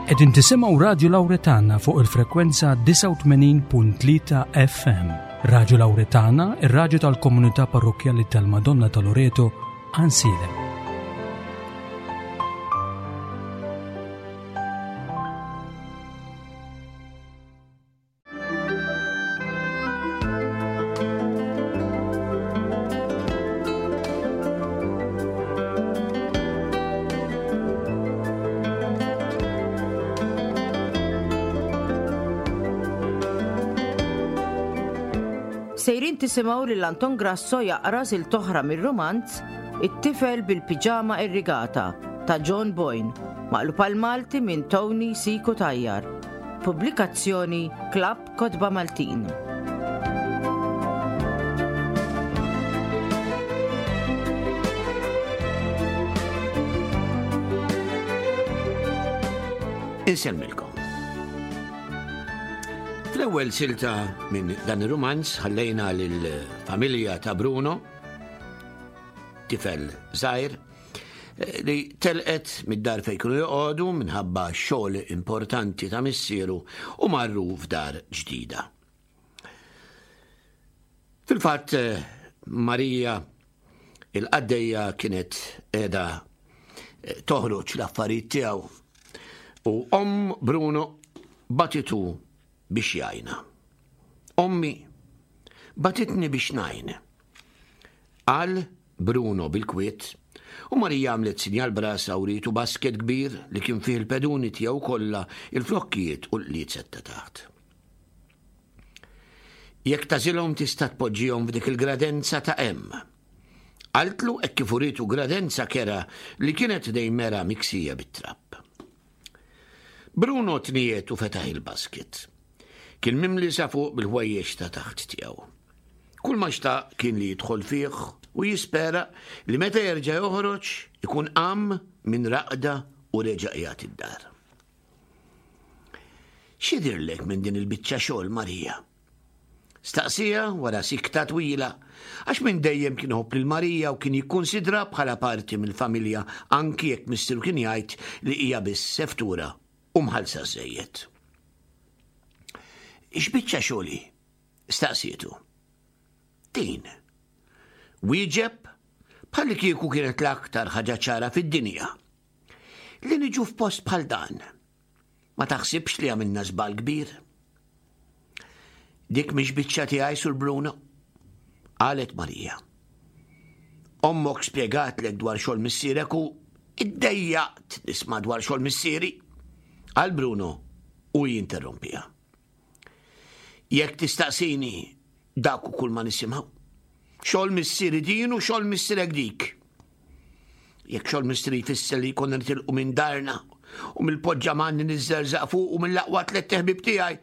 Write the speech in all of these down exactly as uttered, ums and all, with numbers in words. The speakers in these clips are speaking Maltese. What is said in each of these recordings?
Qegħdin tisimgħu Radju Lawretana fuq il-frekwenza disgħa u tmenin punt tlieta F M. Radju Lawretana, ir-radju tal-Komunità Parrokkjali tal-Madonna ta' Loreto, Għajnsielem. Sejrin tisimgħu lil Anton Grasso jaqra silta oħra mir-rumanz It-tifel bil-piġama irrigata ta' John Boyne, maqlub għal Malti minn Tony C. Cutajar. Pubblikazzjoni Klabb Kotba Maltin. Insellmilkom. Fl-ewwel silta minn dan ir-rumanz ħallejna lill-familja ta' Bruno, tifel żgħir, eh, li telqet mid-dar fejn kienu joqogħdu minħabba xogħol importanti ta' missieru u marru f'dar ġdida. Fil-fatt eh, Marija il-qaddejja kienet qiegħda eh, toħroġ l-affarijiet tiegħu u omm Bruno bagħtitu biex jgħinha. "Ommi bagħtitni biex ngħin," qal Bruno bil-kwiet, u Marija għamlet sinjal b'rasha u wrietu basket kbir li kien fih il-peduni tiegħu kollha, il-flokkijiet u l-qliezet ta' taħt. "Jekk tagħżilhom tista' tpoġġihom f'dik il-gradenza ta' hemm," qaltlu hekk kif urietu gradenza kerha li kienet ħdejn mera miksija bit-trab. Bruno tniegħed u fetaħ il-basket. Kien mimli sa fuq bil-ħwejjeġ ta' taħt tiegħu. Kull ma xtaq kien li jidħol fih u jispera li meta jerġa' joħroġ ikun qam minn raqda u reġa' qiegħed id-dar. "X'jidhirlek minn din il-biċċa xogħol, Marija?" staqsieha wara sikta twila, għax minn dejjem kien iħobb lil Marija u kien jikkonsidra bħala parti mill-familja, anki jekk missieru kien jgħid li hija biss seftura u mħallsa żejjed. "X'biċċa xogħol?" staqsietu. "Din," wieġeb bħalli kieku kienet l-aktar ħaġa ċara fid-dinja. "Li niġu f'post bħal dan. Ma taħsibx li għamilna żball kbir?" "Dik mhix biċċa tiegħi, Sur Bruno," qalet Marija. "Ommok spjegatlek dwar xogħol missierek u iddejjaqt nisma' dwar xogħol missieri," qal Bruno u jinterrompiha. "Jekk tistaqsini, dak kull ma nisimgħu. Xogħol missieri din u xogħol missierek dik. Jekk xogħol missieri jfisser li jkollna nitilqu minn darna u mill-poġġaman li niżżerżaq fuq u mill-aqwa tliet ħbieb tiegħi,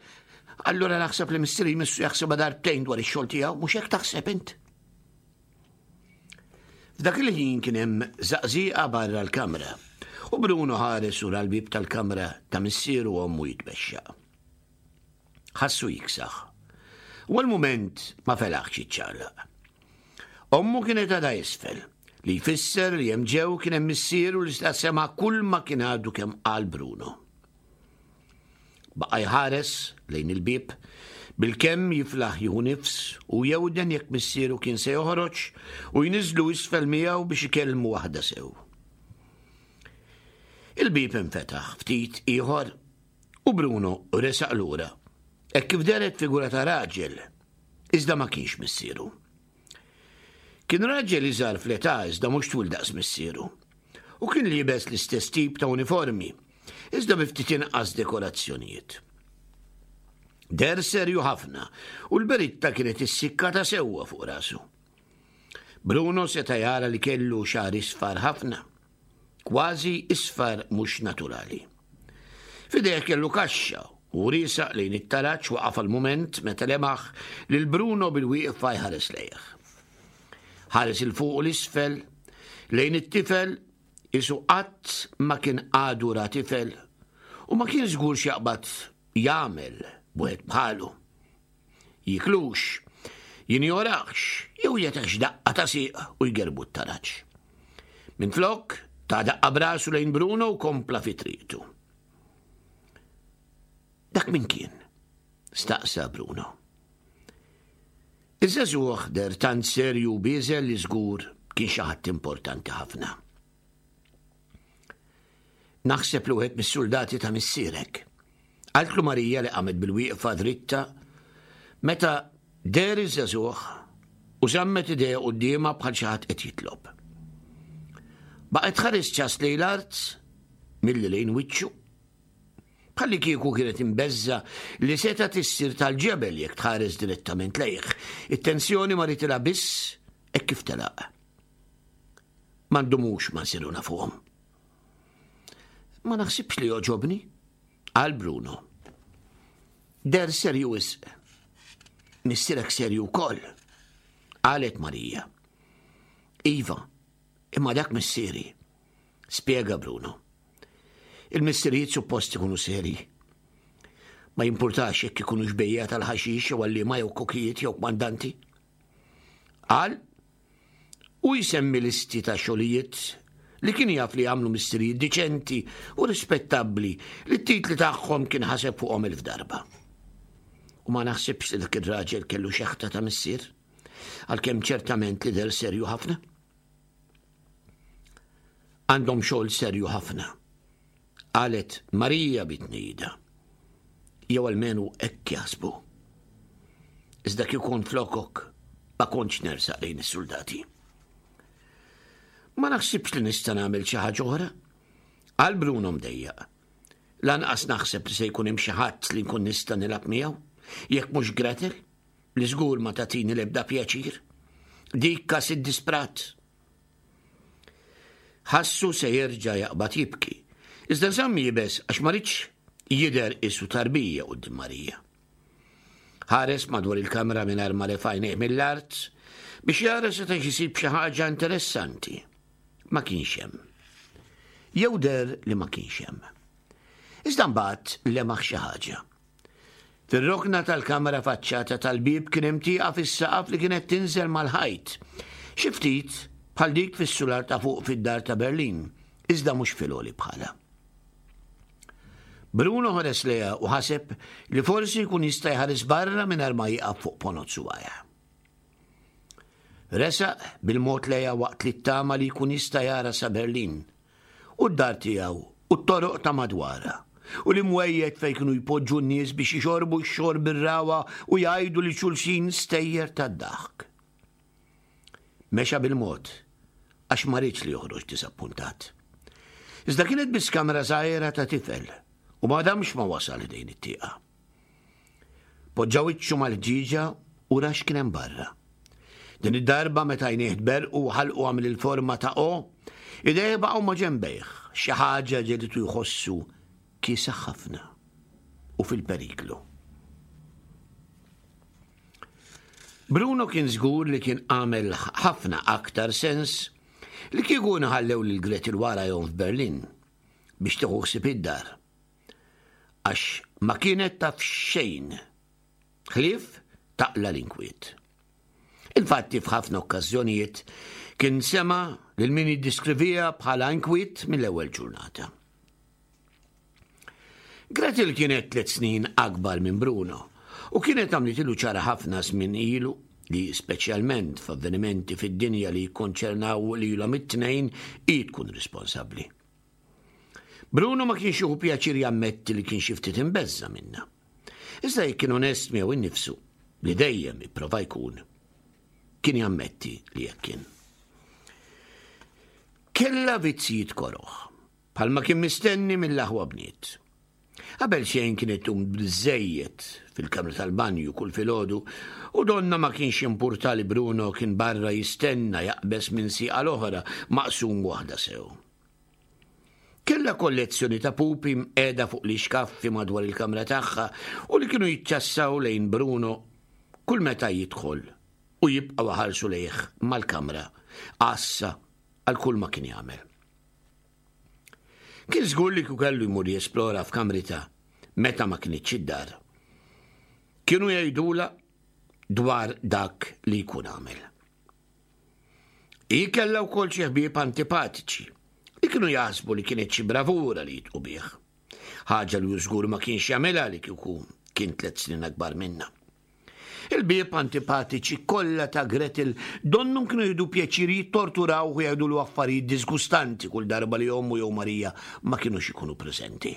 allura naħseb li missieri jmissu jaħseb darbtejn dwar ix-xogħol tiegħu, mhux hekk taħseb int?" F'dak il-ħin kien hemm żaqżiqa barra l-kamra u Bruno ħares u l-bib tal-kamra ta' missieru u ommu jitbexxaq. Ħassu jiksaħ. U għal-moment ma felaħx jiċċaqlaq. Ommu kienet għadha isfel, li jfisser li hemm ġew kien hemm missieru li sta sema kull ma kien għadu kemm qal Bruno. Baqa' jħares lejn il-bib, bil-kemm jiflaħ jieħu nifs u jewden jekk missieru kien se joħroġ u jniżlu isfel miegħu biex ikellmu waħda sew. Il-bib infetaħ ftit ieħor u Bruno resaq lura. Hekk kif dehret figura ta' raġel, iżda ma kienx missieru. Kien raġel iżgħar fl-età, iżda mhux twil daqs missieru. U kien liebes l-istess tip ta' uniformi, iżda bi ftit inqas dekorazzjonijiet. Deher serju ħafna u l-beritta kienet issikkata sewwa fuq rasu. Bruno seta' jara li kellu xagħar isfar ħafna, kważi isfar mhux naturali. F'idejh kellu kaxxa u riesaq lejn it-taraġ waqaf għal-moment meta lemaħ lil Bruno bil-wieqfa jħares lejh. Ħares 'il fuq u 'l isfel lejn it-tifel qisu qatt ma kien għadu ra tifel u ma kien żgur x'jaqbad jagħmel b'wieħed bħalu. Jiklux, jinjorax, jew jagħtihx daqqa ta' sieq u jgerbu t-taraġ. Minflok, ta daqqa b'rasu lejn Bruno u kompla fi triqtu. Dak min kien? Staqsa Bruno. Iż-żagħżugħ deher tant serju u bieżel li żgur kien xi ħadd importanti ħafna. Naħseb li wieħed mis-soldati ta' missierek. Qaltlu Marija li qamet bil-wieqfa dritta meta deher iż-żagħżugħ u żammet idejha quddiemha bħal xi ħadd qed jitlob. Baqgħet tħares ċass lejn l-art milli lejn wiċċu. Bħalli kieku kienet imbeżża' li setgħet issir tal-ġebel jekk tħares direttament lejh. It-tensjoni marritilha biss hekk kif telaq. Ma ndumux ma nsiru nafuhom. Ma naħsibx li jogħġobni, qal Bruno. Deher serju wisq. Missierek serju wkoll, qalet Marija. Iva, imma dak missieri, spjega Bruno. Il-missirijiet suppost ikunu seri. Ma jimpurtax jekk ikunu bejjiegħa tal-ħaxix jew għalliema jew kokijiet jew kmandanti. Qal u jsemmi listi ta' xogħlijiet li kien jaf li għamlu missirijiet diċenti u rispettabbli li t-titli tagħhom kien ħaseb fuqhom elf darba. U ma naħsibx li dak ir-raġel kellu xeħta ta' missier, għalkemm ċertament li deher serju ħafna. Għandhom xogħol serju ħafna, qalet Marija bit-tnehida. Jew almenu hekk jaħsbu. Iżda kieku kont flokok ma kontx nersaq lejn is-soldati. Ma naħsibx li nista' nagħmel xi ħaġa oħra. Qal Bruno mdejjaq. Lanqas naħseb li se jkun hemm xi ħadd li nkun nista' nilgħab miegħu, jekk mhux Gretel, li żgur ma tagħtini l-ebda pjaċir. Dik kas iddisprat. Ħassu se jerġa' jaqbad jibki. Iżda żamm iebes għax ma riedx jidher qisu tarbija quddiem Marija. Ħares madwar il-kamra mingħajr ma refa' għajnejh mill-art biex jara seta' jsib xi ħaġa interessanti. Ma kienx hemm. Jew deher li ma kienx hemm. Iżda mbagħad lemaħ xi ħaġa. Fir-rokna tal-kamra faċċata tal-bieb kien hemm tieqa fis-saqaf li kienet tinżel mal-ħajt. Xi ftit bħal dik fis-sular ta' fuq fid-dar ta' Berlin, iżda mhux fil-għoli bħala. Bruno ħares lejha u ħaseb li forsi jkun jista' jħares barra mingħajr ma jieqaf fuq ponot subgħajh. Resaq bil-mod lejha waqt li ttama li jkun jista' jara sa Berlin u d-dar tiegħu u t-toroq ta' madwarha u l-imwejjed fejn kienu jpoġġu n-nies biex jixorbu x-xorb ir-ragħwa u jgħidu lil xulxin stejjer tad-daħk. Mexa bil-mod għax ma riedx li joħroġ disappuntat. Iżda kienet biss kamra żgħira ta' tifel u ma damx ma wasal ħdejn it-tieqa. Poġġa wiċċu mal-ħġieġa u ra x'kien hemm barra. Din id-darba meta għajnejh tberrqu u ħalqu għamel il-forma ta' O, idejh baqgħu ma' ġenbejh, xi ħaġa ġegħlitu jħossu kiesaħ ħafna u fil-periklu. Bruno kien żgur li kien għamel ħafna aktar sens li kieku nħallew lil Gretel warajhom f'Berlin biex tieħu ħsieb id-dar. Għax ma kienet taf xejn ħlief taqla l-inkwiet. Infatti f'ħafna okkażjonijiet kien sema lil min jiddiskrivija bħala inkwiet mill-ewwel ġurnata. Gretel kienet tliet snin akbar minn Bruno u kienet għamlitilu ċara ħafna żmien ilu li speċjalment f'avvenimenti fid-dinja li jikkonċernaw lilhom it-tnejn hi tkun responsabbli. Bruno ma kienx jieħu pjaċir jammetti li kien xi ftit imbeżża' minnha. Iżda jekk kien onest miegħu innifsu li dejjem ipprova jkun, kien jammetti li hekk kien. Kellha vizzijiet koroh, bħalma kien mistenni mill-aħwa bniet. Qabel xejn kienet tqum biżżejjed fil-kamra tal-banju kull filgħodu u donna ma kienx jimpurta li Bruno kien barra jistenna jaqbeż minn sieqa l-oħra maqsum waħda sew. Kellha kollezzjoni ta' pupi mqiegħda fuq l-ixkaffi madwar il-kamra tagħha u li kienu jiċċassaw lejn Bruno kull meta jidħol u jibqgħu ħarsu lejh mal-kamra għassa għal kull ma kien jagħmel. Kien żgur li kieku kellu jmur jesplora f'kamrita meta ma kinitx id-dar. Kienu jgħidula dwar dak li jkun għamel. Hi kellha wkoll xi ħbieb antipatiċi li kienu jaħsbu li kienet xi bravura li jitqu bih. Ħaġa li żgur ma kienx jagħmilha li kieku kien tliet snin akbar minna. Il-ħbieb antipatiċi kollha ta' Gretel donnhom kienu jieħdu pjaċir jittorturaw u jgħidulu affarijiet disgustanti kull darba li ommu jew Marija ma kinux ikunu preżenti.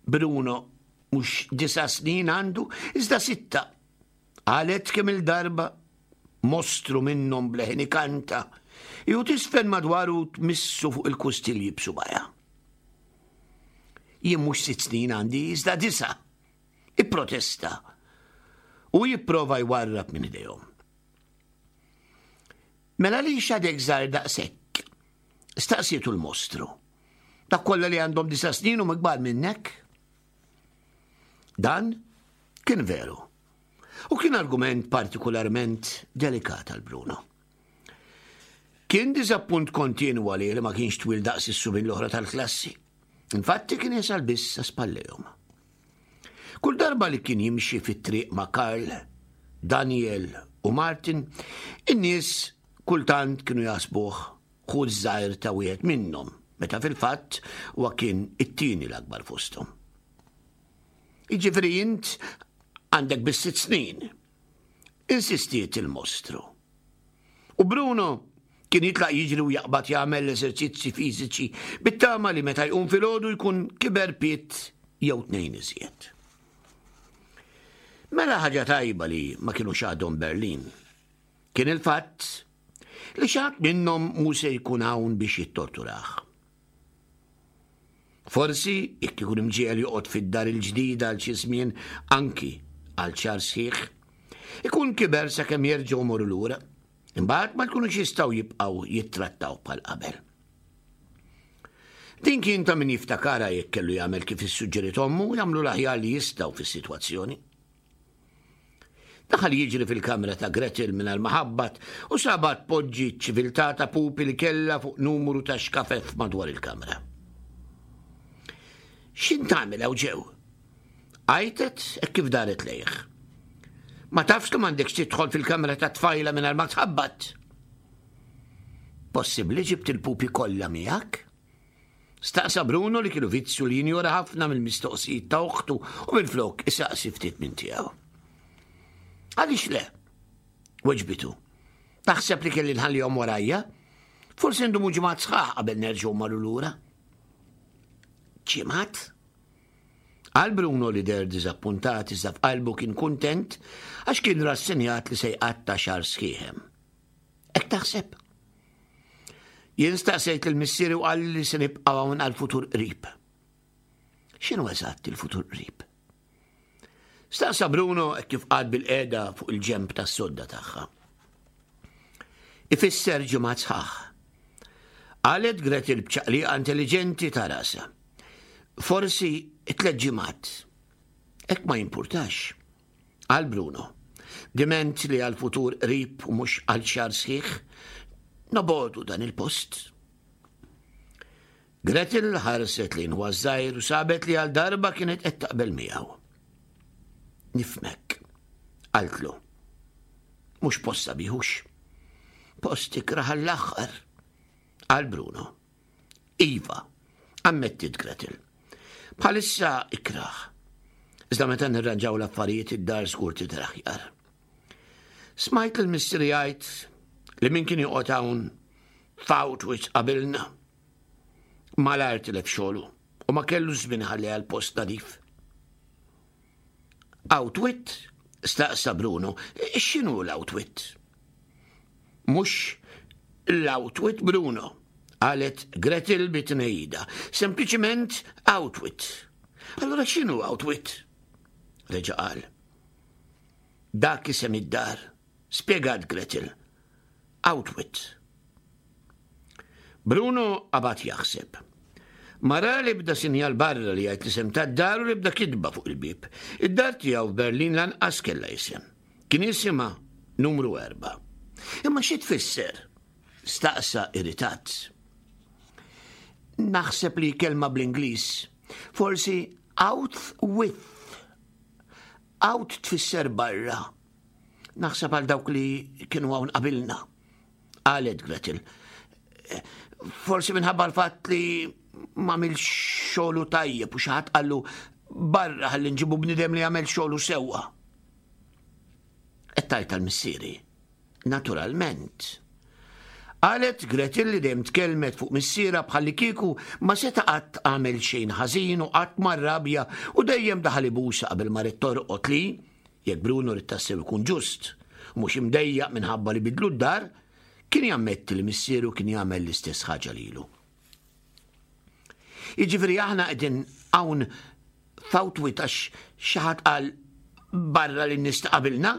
Bruno mhux disa' snin għandu, iżda sitta. Qalet kemm il-darba mostru minnhom b'leħen ikanta, jew tiżfen madwaru tmissu fuq il-kustilji b'subgħajha. Jien mhux sitt snin għandi, iżda disa'. Ipprotesta u jipprova jwarrab minn idejhom. Mela li għadek żgħir daqshekk? Staqsietu l-mostru. Dak kollha li għandhom disa' snin huma kbar minnek? Dan kien veru. U kien argument partikolarment delikat għal Bruno. Kien diżappunt kontinwu li ma kienx twil daqs is-subien l-oħra tal-klassi. Infatti kien jasal biss sa spallejhom. Kull darba li kien jimxi fit-triq ma' Karl, Daniel u Martin, in-nies kultant kienu jaħsbuh ħu żgħir ta' wieħed minnhom, meta fil-fatt huwa kien it-tieni l-akbar fosthom. Jiġifieri int għandek biss sitt snin. Insistiet il-mostru. U Bruno kien jitlaq jiġri u jaqbad jagħmel l-eżerċizzi fiżiċi bit-tama li meta jqum filgħodu jkun kiber pied jew tnejn iżjed. Mela ħaġa tajba li ma kienux għadhom Berlin. Kien il-fatt li xi ħadd minnhom mhu se jkun hawn biex jittorturah. Forsi jekk ikun imġiegħel joqgħod fid-dar il-ġdida għal xi żmien anki għal xahar sħiħ, ikun kiber sakemm jerġgħu jmorru lura. Imbagħad ma jkunux jistgħu jibqgħu jittrattaw bħal qabel. Din kien ta' min jiftakara jekk kellu jagħmel kif issuġġeriet ommu jagħmlu l-aħjar li jistgħu fis-sitwazzjoni. Daħal jiġri fil-kamra ta' Gretel mingħajr ma ħabbat u sabha tpoġġi ċiviltà ta' pupi li kellha fuq numru ta' xkafef madwar il-kamra. X'int tagħmel hawn ġew? Għajtet hekk kif daret lejh. Ma tafx li m'għandekx tidħol fil-kamra ta' tfajla mingħajr ma tħabbat. Possibbli ġibt il-pupi kollha miegħek? Staqsa Bruno li kellu vizzju li jinjora ħafna mill-mistoqsijiet ta' uħtu u minflok isaqsi ftit minn tiegħu. Għaliex le? Weġbitu. Taħseb li kelli nħallihom warajja? Forsi ndumu ġimgħat sħaħ qabel nerġgħu mmorru lura. Ġimgħat? Qal Bruno li deher diżappuntat iżda f'qalbu kien kuntent għax kien rassenjat li se jqatta' xahar sħiħ hemm. Hekk taħseb? Jien staqsejt lil missieri u qal li se nibqgħu hawn għal-futur qrib. X'inhu eżatt il-futur qrib? Staqsa Bruno kif qagħad bilqiegħda fuq il-ġenb tas-sodda tagħha. Ifisser ġimgħat sħaħ. Qalet Gretel b'ċaqliqa intelligenti ta' rasha. Forsi tliet ġimgħat. Hekk ma jimpurtax. Qal Bruno. Diment li għal-futur qrib u mhux għal xahar sħiħ, nobogħdu dan il-post. Gretel ħarset lejn ħuha ż-żgħir u sabet li għal darba kienet qed taqbel miegħu. Nifhmek, qaltlu. Mhux post sabiħ hux. Post ikrah għall-aħħar, qal Bruno. Iva, ammettiet Gretel. Bħalissa ikrah. Iżda meta nirranġaw l-affarijiet id-dar żgur tidher aħjar. Smajt lil missieri jgħid li min kien joqgħod hawn f'Autwitz qabilna. Malajr tilef xogħlu u ma kellu żmien iħalli l-post nadif. Outwit? Staqsa Bruno. X'inhu l-outwit? Mhux l-outwit Bruno, qalet Gretel bit-tnehida. Sempliċiment outwit. Allora x'inhu outwit? Reġa' qal. Dak isem id-dar, spjegat Gretel. Outwit. Bruno qabad jaħseb. Ma ra l-ebda sinjal barra li jgħid l-isem tad-dar u l-ebda kitba fuq il-bieb. Id-dar tiegħu f'Berlin lanqas kellha isem. Kien jisimha numru erba'. Imma xi tfisser? Staqsa irritat. Naħseb li kelma bl-Ingliż. Forsi out with. Out tfisser barra. Naħseb għal dawk li kienu hawn qabilna. Qalet Gretel. Forsi minħabba l-fatt li m'għamilx xogħlu tajjeb u xi ħadd qallu barra ħalli nġibu bniedem li jagħmel xogħlu sewwa. Qed tgħid għal missieri. Naturalment. Qalet Gretel li dejjem tkellmet fuq missierha bħallikieku ma seta' qatt għamel xejn ħażin u qatt ma rrabja u dejjem daħal ibusha qabel ma ried torqod li, jekk Bruno ried tassew ikun ġust u mhux imdejjaq minħabba li bidlu d-dar, kien jammetti li missieru kien jagħmel l-istess ħaġa lilu. Jiġifieri aħna qegħdin hawn f'Awtwit għax xi ħadd qal barra lin-nies ta' qabilna?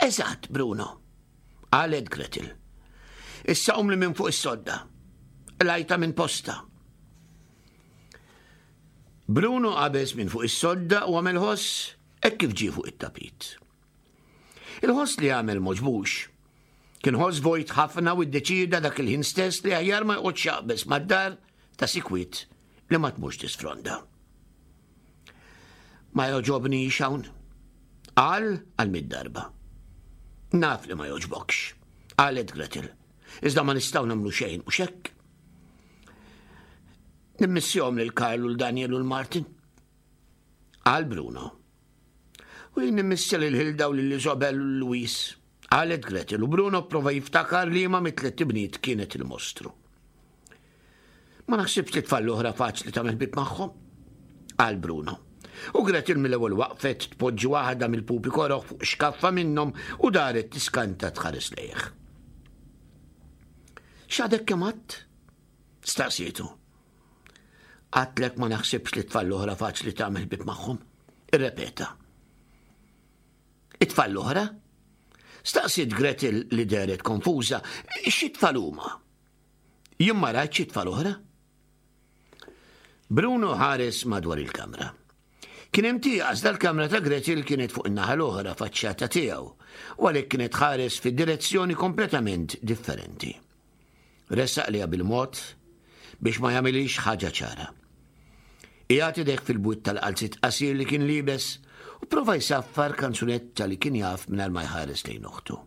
Eżatt, Bruno, qalet Gretel. Issa qum li minn fuq is-sodda. Lajta minn posta. Bruno qabeż minn fuq is-sodda u għamel ħoss hekk kif ġie fuq it-tapit. Il-ħoss li għamel m'għoġbux. Kien ħoss vojt ħafna u ddeċida dak il-ħin stess li aħjar ma joqgħodx jaqbeż mad-dar ta' sikwit li ma tmurx tisfronda. Ma jogħġobnix hawn. Qal għal mitt darba. Naf li ma jogħġbokx, qalet Gretel. Iżda ma nistgħu nagħmlu xejn u xekk. Nimmissjahom lil Karl u l-Daniel u l-Martin. Qal Bruno. U jien nimmissja lil Hilda u lil Isobel u Luis. Qalet Gretel u Bruno prova jiftakar liema mit-tliet ibniet kienet il-mostru. Ma naħsibx li tfal oħra faċli tagħmel ħbieb magħhom, qal Bruno. U Gretel mill-ewwel waqfet tpoġġi waħda mill-pupi koroħ fuq xkaffa minnhom u daret tiskanta tħares lejh. X'għadek kemm għedt? Staqsietu. Għedtlek ma naħsibx li tfal oħra faċli tagħmel ħbieb magħhom. Irrepeta. It-tfal l-oħra? Staqsiet Gretel li dehret konfuża. Xi tfal huma? Jien ma rajtx xi tfal oħra? Bruno ħares madwar il-kamra. Kien hemm tieqa iżda l-kamra ta' Gretel kienet fuq in-naħa l-oħra faċċata tiegħu u għalhekk kienet ħares fi direzzjoni kompletament differenti. Resaq lejha bil-mod biex ma jagħmilix ħaġa ċara. Qiegħed idejh fil-bwiet tal-qalziet qasir li kien liebes u prova jsaffar kanzunetta li kien jaf mingħajr ma jħares lejn oħtu.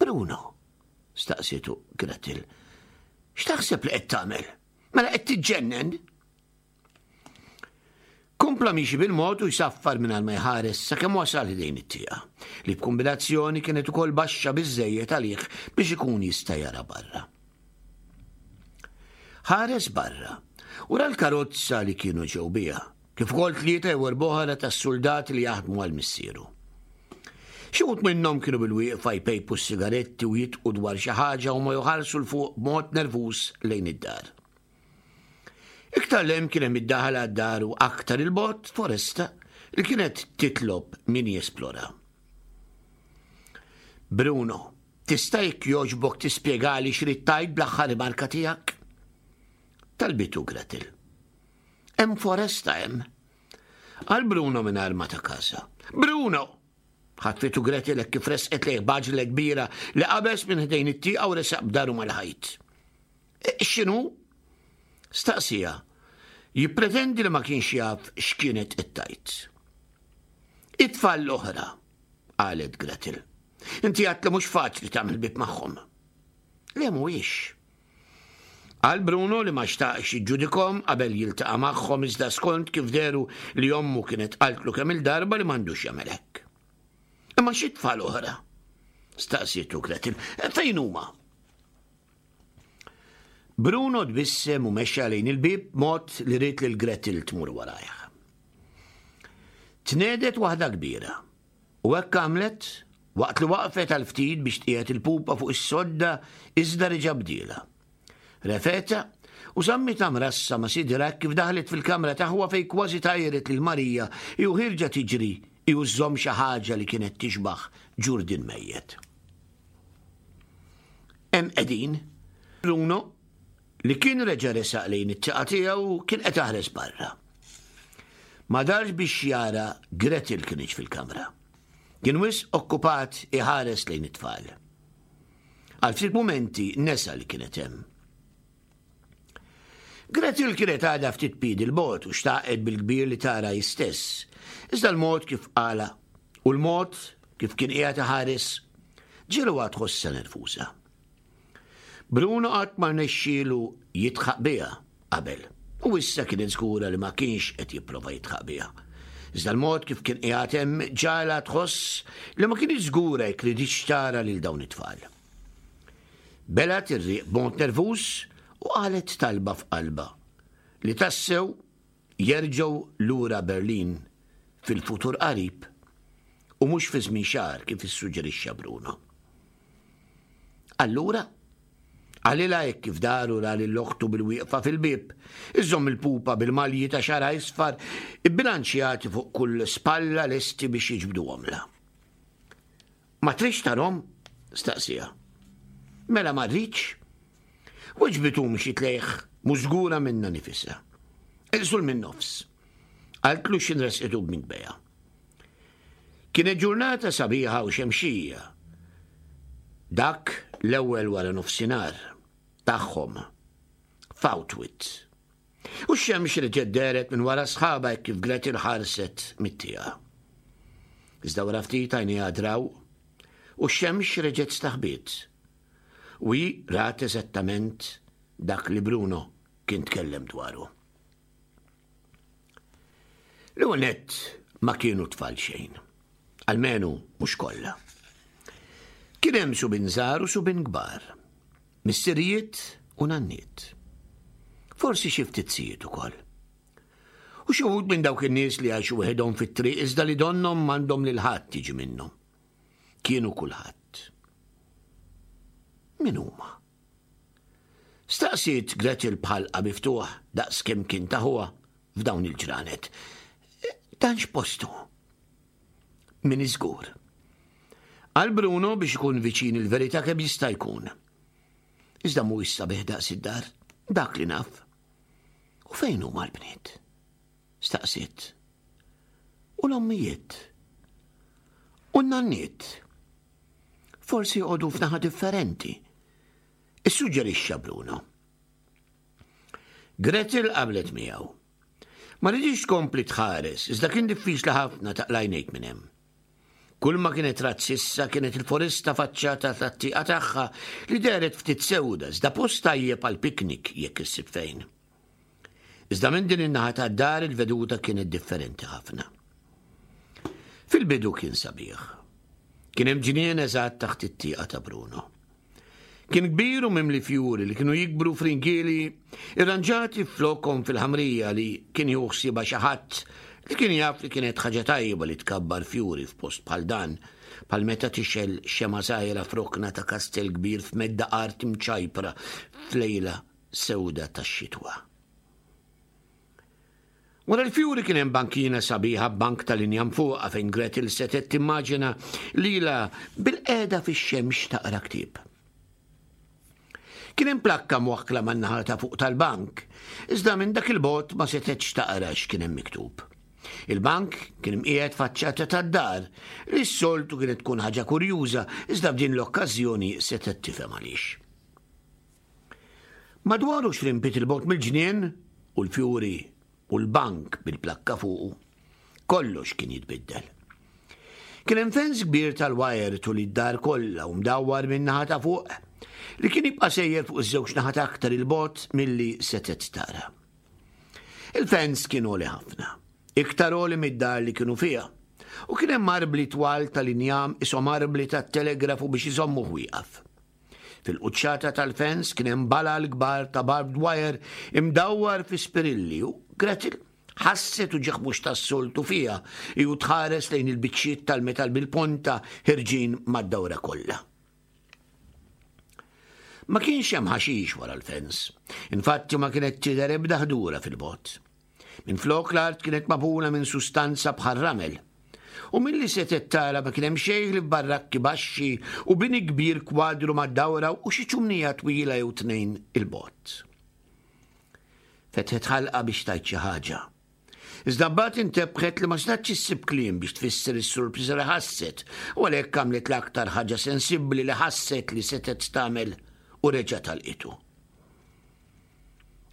Bruno, staqsietu Gretel, x'taħseb li qed tagħmel? Mela qed tiġġennen? Kompla miexi bil-mod u jsaffar mingħajr ma jħares sakemm wasal ħdejn it-tieqa, li b'kombinazzjoni kienet ukoll baxxa biżejjed għalih biex ikun jista' jara barra. Ħares barra u ra l-karozza li kienu ġew biha, kif ukoll tlieta jew erba' oħra tas-soldati li jaħdmu għal missieru. Xi wħud minnhom kienu bil-wieqfa jpejpu s-sigaretti u jitqu dwar xi ħaġa u ma joħarsu 'l fuq b'mod nervuż lejn id-dar. Iktar 'l hemm kien hemm id-daħla għad-dar u aktar 'il bogħod foresta li kienet titlob min jesplora. Bruno, tista' jekk jogħġbok tispjegali x'ridt tgħid bl-aħħar rimarka tiegħek? Talbitu Gretel. Hemm foresta hemm. Qal Bruno mingħajr ma ta kasha. Bruno! Ħatfitu Gretel hekk kif resqet lejh b'għaġla kbira li qabeż minn ħdejn it-tieqa u resaq b'dahru mal-ħajt. X'inhu? Staqsija. Jippretendi li ma kienx jaf x'kienet qed tgħid. It-tfal l-oħra, qalet Gretel. Inti għedt li mhux faċli tagħmel ħbieb magħhom. Le mhuwiex. Qal Bruno li ma xtaqx jiġġudikahom qabel jiltaqa' magħhom iżda skont kif dehru li ommu kienet qaltlu kemm il-darba li m'għandux jagħmel hekk. Imma xi tfal oħra? Staqsietu Gretel. Fejn huma? Bruno tbissem u mexa lejn il-bib mod li ried lil Gretel tmur warajh. Tnehdet waħda kbira u hekk għamlet waqt li waqfet għal ftit biex tqiegħed il-pupa fuq is-sodda iżda reġa' bdielha. Refgħetha u żammitha mrassa ma' sidirha kif daħlet fil-kamra t'aħwa fejn kważi tajret lil Marija u ħierġa tiġri u żżomm xi ħaġa li kienet tixbaħ ġurdien mejjet. Hemm qegħdin, Bruno, li kien reġa' resaq lejn it-tieqa tiegħu kien qed iħares barra. Ma darx biex jara Gretel kinitx fil-kamra. Kien wisq okkupat iħares lejn it-tfal. Għal ftit mumenti nesa li kienet hemm. Gretel kienet għadha ftit piedi 'l bogħod u xtaqet bil-kbir li tara hi stess. Iżda l-mod kif qala u l-mod kif kien qiegħed iħares ġegħluha tħossha nervuża. Bruno qatt ma rnexxielu jidħaq biha qabel, u issa kienet żgura li ma kienx qed jipprova jidħaq biha. Iżda l-mod kif kien qiegħed hemm ġagħalha tħoss li ma kinitx żgura jekk riditx tara lil dawn it-tfal. Belgħet ir-riq b'mod nervuż u qalet talba f'qalbha li tassew jerġgħu lura Berlin fil-futur qarib u mhux fi żmien xahar kif issuġġerixxa Bruno. Allura, qalilha hekk kif dar u ra lil oħtu bilwieqfa fil-bieb, iżżomm il-pupa bil-malji ta' xagħarha isfar ibbilanċjati fuq kull spalla lesti biex jiġbduhomlha. Ma tridx tarahom? Staqsieha. Mela ma rridx? Weġbitu mxiet lejh mhux żgura minnha nifisha. Iqsul min-nofs. Qaltlu x'ħin resqitu b'minkbejha. Kienet ġurnata sabiħa u xemxija. Dak l-ewwel wara nofsinhar tagħhom f'Autwitz. U x-xemx reġgħet dehret minn wara sħaba hekk kif Gretel ħarset mit-tieqa. Iżda wara ftit għajnejha draw u x-xemx reġgħet staħbiet. U hi rat eżattament dak li Bruno kien tkellem dwaru. L-ewwel nett ma kienu tfal xejn. Almenu mhux kollha. Kien hemm subien żgħar u subien kbar. Missirijiet u nanniet. Forsi xi ftit zijiet ukoll. U xi wħud minn dawk in-nies li għaxu weħidhom fit-triq iżda li donnhom m'għandhom lil ħadd jiġi minnhom. Kienu kulħadd. Min huma? Staqsiet Gretel b'ħalqha miftuħ daqs kemm kien ta' ħuha f'dawn il-ġranet. Dan x'postu? M'iniex żgur. Qal Bruno biex ikun viċin il-verità kemm jista' jkun. Iżda mhuwiex sabiħ daqs id-dar, dak li naf. U fejn huma l-bniet? Staqsiet. U l-ommijiet? U n-nanniet? Forsi joqogħdu f'naħa differenti. Issuġġerixxa Bruno. Gretel qablet miegħu. Ma riditx tkompli tħares, iżda kien diffiċli ħafna taqla' għajnejk minn hemm. Kull ma kienet rat s'issa kienet il-foresta faċċata tat-tieqa tagħha li dehret ftit sewda, iżda post tajjeb għal piknik jekk issib fejn. Iżda minn din in-naħa tad-dar il-veduta kienet differenti ħafna. Fil-bidu kien sabiħ. Kien hemm ġnien eżatt taħt it-tieqa ta' Bruno. Kien kbir u mimli fjuri li kienu jikbru f'ringieli irranġati flokom fil-ħamrija li kien jieħu ħsiebha xi ħadd li kien jaf li kienet ħaġa tajba li tkabbar fjuri f'post bħal dan, bħal meta tixgħel xemgħa żgħira f'rokna ta' kastell kbir f'medda art imċajpra f'lejla sewda tax-xitwa. Wara l-fjuri kien hemm bankina sabiħa b'bank tal-injam fuqha fejn Gretel setgħet timmaġina lilha bilqiegħda fix-xemx taqra ktieb. Kien hemm plakka mwakkla man-naħa ta' fuq tal-bank, iżda minn dak il-bogħod ma setgħetx taqra x'kien hemm miktub. Il-bank kien imqiegħed faċċata tad-dar li s-soltu kienet tkun ħaġa kurjuża, iżda f'din l-okkażjoni setgħet tifhem għaliex. Madwar għoxrin pied 'il bogħod mill-ġnien u l-fjuri u l-bank bil-plakka fuqu, kollox kien jitbiddel. Kien hemm fens kbir tal-wajer tul id-dar kollha u mdawwar minn naħa ta' fuq li kien jibqa' sejjer fuq iż-żewġ naħat aktar 'il bogħod milli setgħet tara. Il-fens kien għoli ħafna, iktar għoli mid-dar li kienu fiha, u kien hemm arbli twal tal-injam qishom arbli tat-telegrafu biex iżommuh wieqaf. Fil-quċċata tal-fens kien hemm balal kbar ta' barbed wire imdawwar fi spirilli u Gretel ħasset uġigħ mhux tas-soltu fiha u tħares lejn il-biċċiet tal-metal bil-ponta ħerġin mad-dawra kollha. Ma kienx hemm ħaxix wara l-fens. Infatti ma kienet tidher ebda ħdura fil-bogħod. Minflok l-art kienet magħmula minn sustanza bħal ramel. U milli setgħet tara ma kien hemm xejn ħlief barrakki baxxi u bini kbir kwadru mad-dawra u xi ċumnija twila jew tnejn 'il bogħod. Fetħet ħalqha biex tgħid xi ħaġa. Iżda mbagħad intebħet li ma setgħetx issib kliem biex tfisser is-surpriża li ħasset, u għalhekk għamlet l-aktar ħaġa sensibbli li ħasset li setgħet tagħmel u reġgħet għalqitu.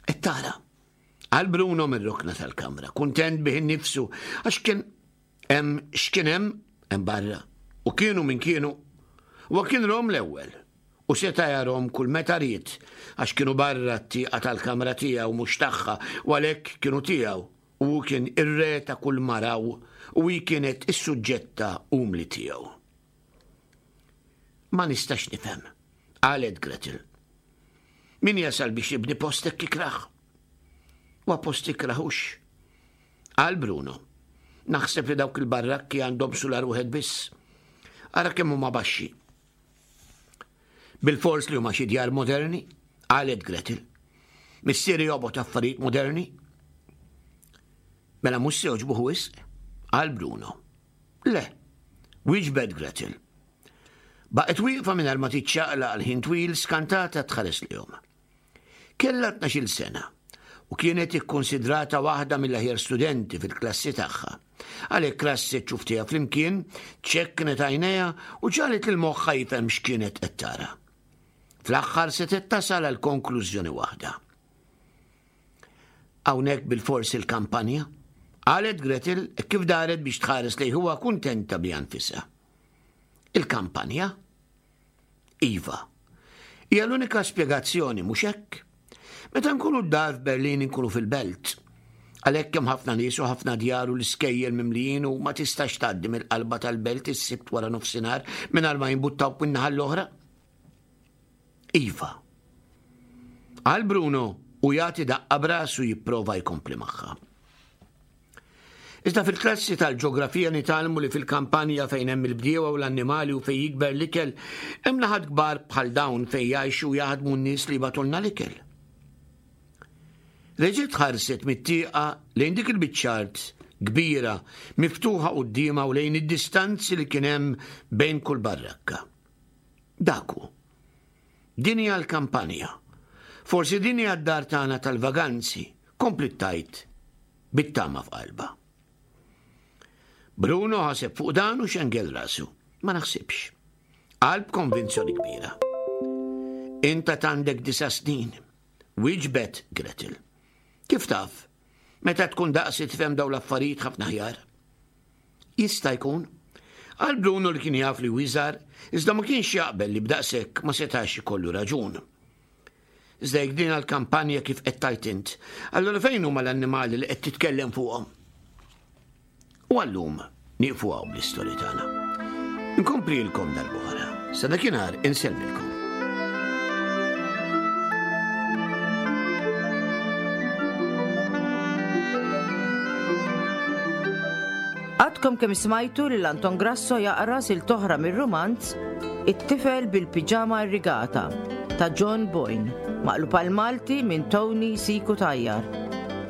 Qed tara, qal Bruno mir-rokna tal-kamra, kuntent bih innifsu għax kien hemm x'kien hemm hemm barra u kienu min kienu. U kien rahom l-ewwel U seta' jarahom kull meta ried għax kienu barra t-tieqa tal-kamra tiegħu mhux tagħha u għalhekk kienu tiegħu u hu kien ir-re ta' kull maraw u hi kienet is-suġġetta umli tiegħu. Ma nistax nifhem, qalet Gretel. Min jasal biex jibni post hekk ikrah? Huwa post ikrah hux? Qal Bruno. Naħseb li dawk il-barrakki għandhom sular wieħed biss. Ara kemm huma baxxi. Bilfors li huma xi djar moderni, qalet Gretel. Missieri jobgħod affarijiet moderni. Mela mhux se jogħġbuh wisq, qal Bruno. Le, wieġbet Gretel. Baqgħet wieqfa mingħajr ma tiċċaqlaq għal ħin twil skantata tħares lejhom. Kellha tnax-il sena u kienet ikkonsidrata waħda mill-aħjar studenti fil-klassi tagħha. Għalhekk rasset ċuftiha flimkien, ċekknet għajnejha u ġagħlet lil moħħha jifhem x'kienet qed tara. Fl-aħħar setgħet tasal għal konklużjoni waħda. Hawnhekk bilfors il-kampanja, qalet Gretel kif daret biex tħares lejn ħuha kuntenta biha nfisha. Il-kampanja? Iva. Hija l-unika spjegazzjoni, mhux hekk? Meta nkunu d-dar f'Berlin nkunu fil-belt. Għalhekk hemm ħafna nies u ħafna djar u l-iskejjel mimlijin u ma tistax tgħaddi mill-qalba tal-belt is-Sibt wara nofsinhar mingħajr ma jimbuttawk min-naħa l-oħra. Iva. Qal Bruno u jagħti daqqa b'rasu jipprova jkompli magħha. Iżda fil-klassi tal-ġeografija nitgħallmu li fil-kampanja fejn hemm il-bdiewa u l-annimali u fejn jikber l-ikel, hemm naħat kbar bħal dawn fejn jgħixu u jaħdmu n-nies li jibagħtulna l-ikel. Reġgħet ħarset mit-tieqa lejn dik il-biċċa art kbira miftuħa quddiemha u lejn id-distanzi li kien hemm bejn kull barrakka. Dak hu. Din hija l-kampanja. Forsi din hija d-dar tagħna tal-vaganzi, kompliet tgħid bit-tama f'qalbha. Bruno ħaseb fuq dan u xengel rasu. Ma naħsibx. Qal b'konvinzjoni kbira. Inta għandek disa' snin. Wieġbet Gretel. Kif taf? Meta tkun daqsi tifhem dawn l-affarijiet ħafna aħjar. Jista' jkun. Qal Bruno li kien jaf li iżgħar, iżda ma kienx jaqbel li b'daqshekk ma setax ikollu raġun. Iżda jekk din għall-kampanja kif qed tgħid int, allura fejn huma l-annimali li qed titkellem fuqhom? U għallum nieqfu hawn bl-istorja tagħna. Nkomplilkom darb'oħra. Sa dakinhar insellmilkom. Għadkom kemm smajtu lil Anton Grasso jaqra silta oħra mir-rumanz It-tifel bil-piġama irrigata ta' John Boyne, maqlub għal Malti minn Tony Siku Tajjar.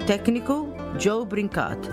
Tekniku Joe Brincat.